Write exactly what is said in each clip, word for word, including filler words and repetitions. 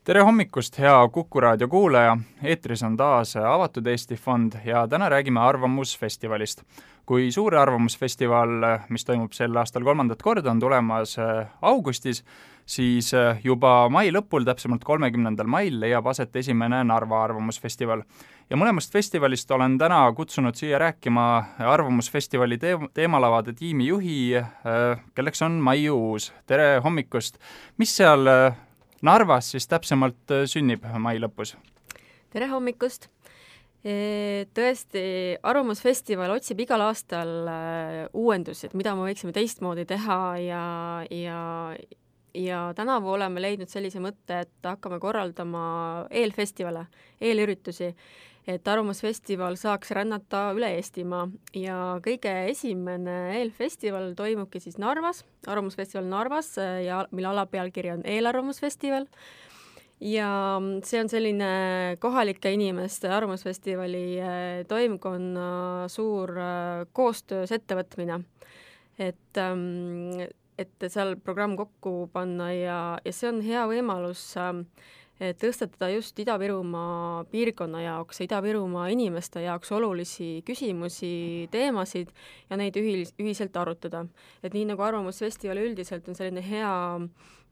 Tere hommikust, hea Kuku raadio kuulaja! Eetris on taas Avatud Eesti Fond ja täna räägime Arvamusfestivalist. Kui suur Arvamusfestival, mis toimub sel aastal kolmandat korda, on tulemas augustis, siis juba mai lõpul, täpsemalt kolmekümnendal mail, leiab aset esimene Narva Arvamusfestival. Ja mõlemast festivalist olen täna kutsunud siia rääkima Arvamusfestivali teemalavade tiimi juhi, kelleks on Maiu Uus. Tere hommikust! Mis seal Narvas siis täpsemalt sünnib mai lõpus? Tere hommikust! Tõesti, Arvamusfestival otsib igal aastal uuendusi, et mida me võiksime teistmoodi teha ja, ja, ja tänavu oleme leidnud sellise mõtte, et hakkame korraldama eelfestivale, eelüritusi, et Arvamusfestival saaks rännata üle Eestimaa ja kõige esimene eelfestival toimubki siis Narvas, Arvamusfestival Narvas, ja mille alapealkiri on Eelarvamusfestival. Ja see on selline kohalike inimeste Arvamusfestivali toimkonna suur koostöös ettevõtmine, et, et seal programm kokku panna ja, ja see on hea võimalus tõstatada just Ida-Virumaa piirkonna jaoks, Ida-Virumaa inimeste jaoks olulisi küsimusi, teemasid ja neid ühis, ühiselt arutada. Et nii nagu Arvamusfestival üldiselt on selline hea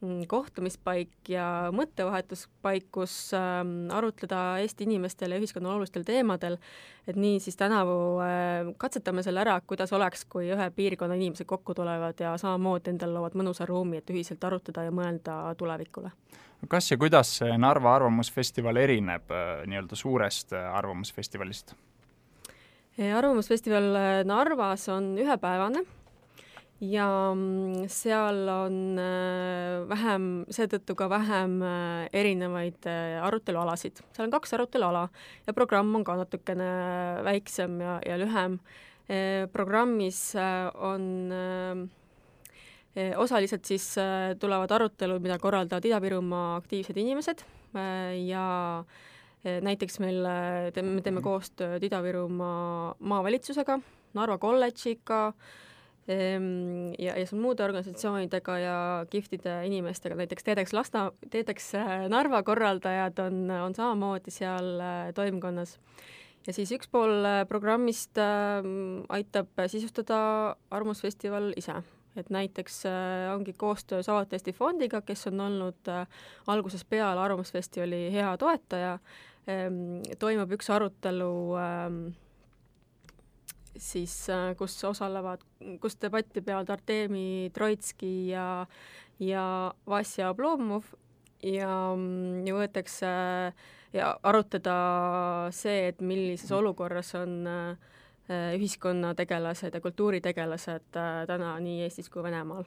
kohtumispaik ja mõttevahetuspaik, kus ähm, arutleda Eesti inimestele ja ühiskonna olulistel teemadel, et nii siis tänavu äh, katsetame selle ära, kuidas oleks, kui ühe piirkonna inimesed kokku tulevad ja samamoodi endal loovad mõnusa ruumi, et ühiselt arutada ja mõelda tulevikule. Kas ja kuidas see Narva Arvamusfestival erineb äh, nii-öelda suurest Arvamusfestivalist? Arvamusfestival Narvas on ühepäevane ja seal on vähem, seetõttu ka vähem erinevaid arutelualasid. Seal on kaks aruteluala ja programm on ka natukene väiksem ja, ja lühem. Programmis on osaliselt siis tulevad arutelud, mida korraldavad Ida-Virumaa aktiivsed inimesed ja näiteks meil teeme, me teeme koostööd Ida-Virumaa maavalitsusega, Narva kolledžiga, ja, ja muude organisatsioonidega ja kihvtide inimestega, näiteks Teedeks, Lasta, Teedeks Narva korraldajad on, on samamoodi seal toimkonnas. Ja siis üks pool programmist aitab sisustada Arvamusfestival ise. Et näiteks ongi koostöös Avatud Eesti Fondiga, kes on olnud alguses peale Arvamusfestivali hea toetaja, toimub üks arutelu siis, kus osalevad, kus debatti peavad Artemi Troitski ja, ja Vasja Oblomov ja, ja võetakse ja arutada see, et millises olukorras on ühiskonnategelased ja kultuuritegelased täna nii Eestis kui Venemaal.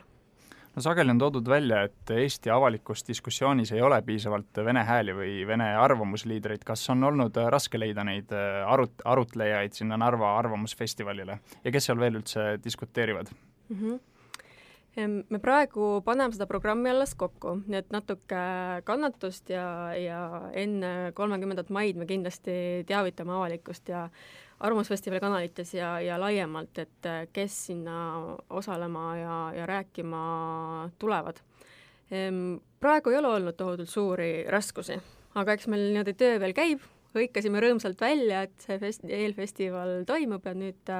No sageli on toodud välja, et Eesti avalikus diskussioonis ei ole piisavalt vene hääli või vene arvamusliidreid. Kas on olnud raske leida neid arut- arutlejaid sinna Narva Arvamusfestivalile ja kes seal veel üldse diskuteerivad? Mm-hmm. Me praegu paneme seda programmi alles kokku, nii et natuke kannatust ja, ja enne kolmekümnendat maid me kindlasti teavitame avalikkust ja Arvamusfestivali kanalites ja, ja laiemalt, et kes sinna osalema ja, ja rääkima tulevad. Praegu ei ole olnud tohutult suuri raskusi, aga eks meil niimoodi töö veel käib, hõikasime rõõmsalt välja, et see fest- eelfestival toimub ja nüüd,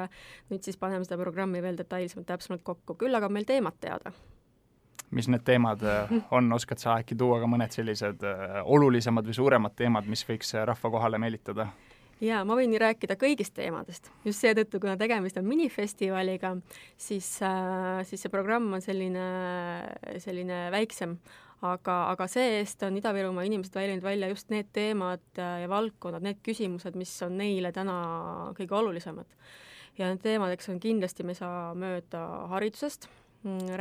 nüüd siis paneme seda programmi veel detailsemalt täpsemalt kokku. Küll aga meil teemad teada. Mis need teemad on? Oskad sa äkki tuua ka mõned sellised olulisemad või suuremad teemad, mis võiks rahva kohale meelitada? Jaa, ma võin nii rääkida kõigist teemadest. Just seetõttu, kuna tegemist on minifestivaliga, siis, siis see programm on selline, selline väiksem. Aga, aga see-eest on Ida-Virumaa inimesed väljanud välja just need teemad ja valdkonnad, need küsimused, mis on neile täna kõige olulisemad. Ja need teemadeks on kindlasti, me saa mööda haridusest,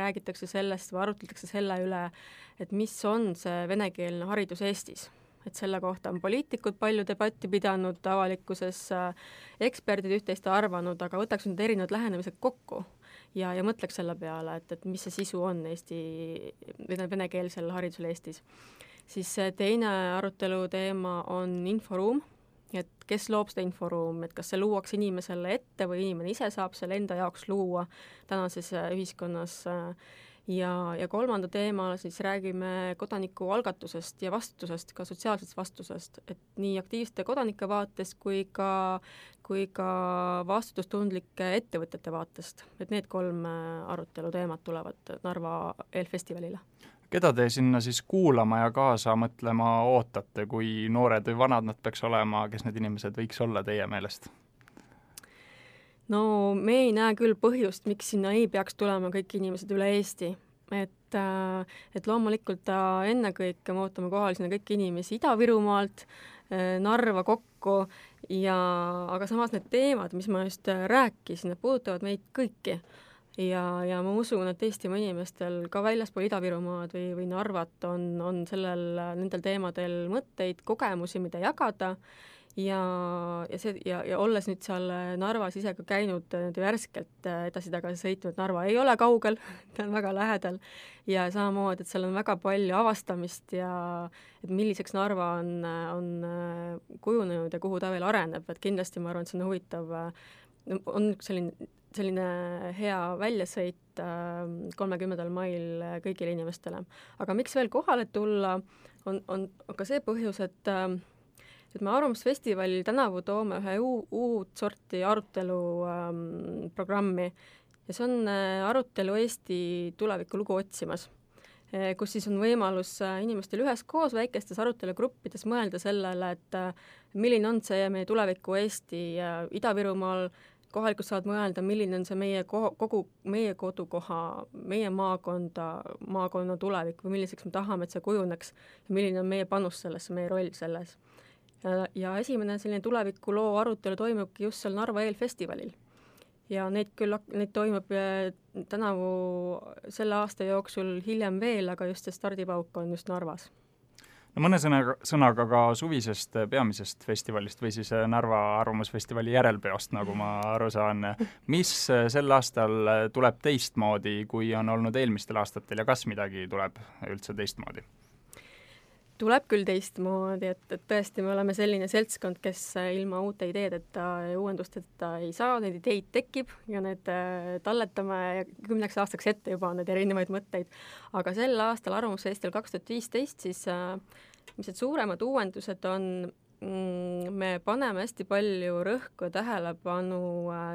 räägitakse sellest või arutletakse selle üle, et mis on see venekeelne haridus Eestis. Et selle kohta on poliitikud palju debatti pidanud avalikkuses, eksperdid üht-teist arvanud, aga võtaks nüüd erinevad lähenemised kokku ja, ja mõtleks selle peale, et, et mis see sisu on Eesti, venekeelsel haridusel Eestis. Siis teine arutelu teema on inforuum, et kes loob seda inforuum, et kas see luuaks inimesele ette või inimene ise saab selle enda jaoks luua tänases ühiskonnas ja, ja kolmanda teema siis räägime kodanikualgatusest ja vastutusest, ka sotsiaalsest vastusest, et nii aktiivsete kodanike vaatest kui ka, kui ka vastutustundlike ettevõtete vaatest. Et need kolm arutelu teemad tulevad Narva eelfestivalile. Keda te sinna siis kuulama ja kaasa mõtlema ootate, kui noored või vanad nad peaks olema, kes need inimesed võiks olla teie meelest? No me ei näe küll põhjust, miks sinna ei peaks tulema kõik inimesed üle Eesti. Et, et loomulikult ennekõike me ootame kohal sinna kõik inimesi Ida-Virumaalt, Narva kokku, ja, aga samas need teemad, mis ma just rääkisin, need puudutavad meid kõiki. Ja, ja ma usun, et Eestimaa inimestel ka väljaspool Ida-Virumaad või, või Narvat on, on sellel, nendel teemadel mõtteid, kogemusi, mida jagada. Ja, ja, see, ja, ja olles nüüd seal Narvas ise ka käinud värskelt edasi-tagasi sõitnud, Narva ei ole kaugel, ta on väga lähedal ja samamoodi, et seal on väga palju avastamist ja et milliseks Narva on, on kujunenud ja kuhu ta veel areneb, et kindlasti ma arvan, et see on huvitav, on selline, selline hea väljasõit kolmekümnendal mail kõigile inimestele. Aga miks veel kohale tulla, on, on ka see põhjus, et et me Arvamusfestivalil tänavu toome ühe uu, uut sorti arutelu ähm, programmi ja see on äh, arutelu Eesti tuleviku lugu otsimas, e, kus siis on võimalus äh, inimestel üheskoos väikestes arutelugruppides mõelda sellele, et äh, milline on see meie tuleviku Eesti äh, Ida-Virumaal, kohalikud saavad mõelda, milline on see meie ko- kogu meie kodukoha, meie maakonda, maakonna tulevik või milliseks me tahame, et see kujuneks ja milline on meie panus sellesse, meie roll selles. Ja esimene selline tulevikuloo arutelu toimubki just seal Narva eelfestivalil. Ja neid küll neid toimub tänavu selle aasta jooksul hiljem veel, aga just see stardipauk on just Narvas. No mõne sõnaga, sõnaga ka suvisest peamisest festivalist või siis Narva Arvamusfestivali järelpeost, nagu ma aru saan. Mis sel aastal tuleb teistmoodi, kui on olnud eelmistel aastatel ja kas midagi tuleb üldse teistmoodi? Tuleb küll teistmoodi, et, et tõesti me oleme selline seltskond, kes ilma uute ideedeta ja uuendusteta ei saa, need ideid tekib ja need talletame kümneks aastaks ette juba need erinevaid mõtteid. Aga sel aastal Arvamusfestival kaks tuhat viisteist siis mis need suuremad uuendused on, me paneme hästi palju rõhku ja tähelepanu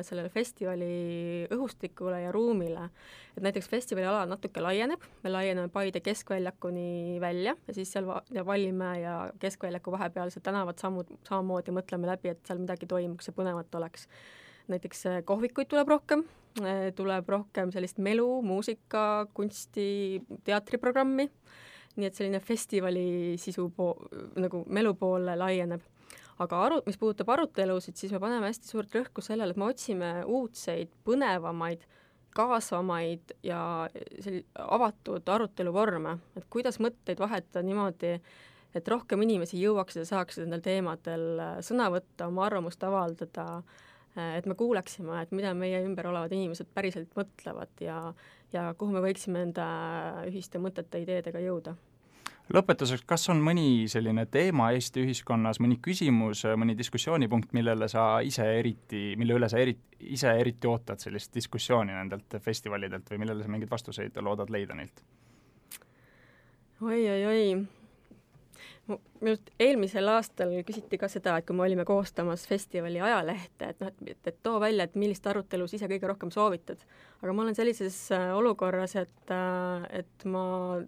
sellele festivali õhustikule ja ruumile. Et näiteks festivali ala natuke laieneb, me laieneme Paide keskväljakuni välja ja siis seal ja Vallimäe ja keskväljaku vahepealsed tänavad sammud, samamoodi mõtleme läbi, et seal midagi toimuks ja põnevat oleks. Näiteks kohvikuid tuleb rohkem, tuleb rohkem sellist melu, muusika, kunsti, teatriprogrammi. Nii et selline festivali sisu po- nagu melu poole laieneb. Aga aru, mis puudutab arutelusid, siis me paneme hästi suurt rõhku sellele, et me otsime uudseid, põnevamaid, kaasvamaid ja sel- avatud aruteluvorme, et kuidas mõtteid vahetada niimoodi, et rohkem inimesi jõuaks ja saaks nendel teemadel sõna võtta, oma arvamust avaldada, et me kuuleksime, et mida meie ümber olevad inimesed päriselt mõtlevad ja, ja kuhu me võiksime enda ühiste mõtete ideedega jõuda. Lõpetuseks, kas on mõni selline teema Eesti ühiskonnas, mõni küsimus, mõni diskussioonipunkt, millele sa ise eriti, mille üle sa eriti, ise eriti ootad sellist diskussiooni nendelt festivalidelt või millele sa mingeid vastuseid loodad leida neilt? Oi, oi, oi. Minult eelmisel aastal küsiti ka seda, et kui me olime koostamas festivali ajalehte, et, no, et, et too välja, et millist arutelu ise kõige rohkem soovitad. Aga ma olen sellises olukorras, et, et ma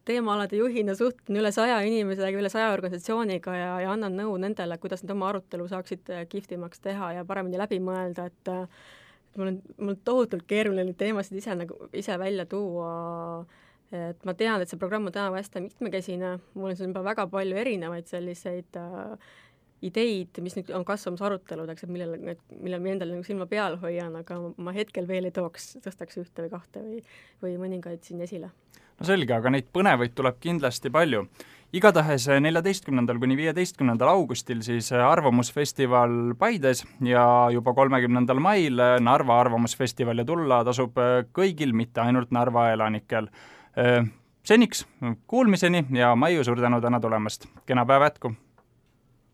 teemaalade juhina suhtlen üle saja inimesega, üle saja organisatsiooniga ja, ja annan nõu nendele, kuidas nad oma arutelu saaksid kihvtimaks teha ja paremini läbi mõelda, et, et mul on, mul on tohutult keeruline teemasid ise, nagu, ise välja tuua. Et ma tean, et see programm on täna hästi mitmekesine, mul on siin juba väga palju erinevaid selliseid äh, ideid, mis nüüd on kasvamas aruteludeks, et millele, millele ma endale nagu silma peal hoian, aga ma hetkel veel ei tooks, tõstaks ühte või kahte või, või mõningaid siin esile. No selge, aga neid põnevaid tuleb kindlasti palju. Igatahes neljateistkümnendal kuni viieteistkümnendal augustil siis Arvamusfestival Paides ja juba kolmekümnendal mail Narva Arvamusfestival ja tulla tasub kõigil, mitte ainult Narva elanikel. Seniks kuulmiseni ja Maiu, suur tänu täna tulemast. Kena päeva jätku!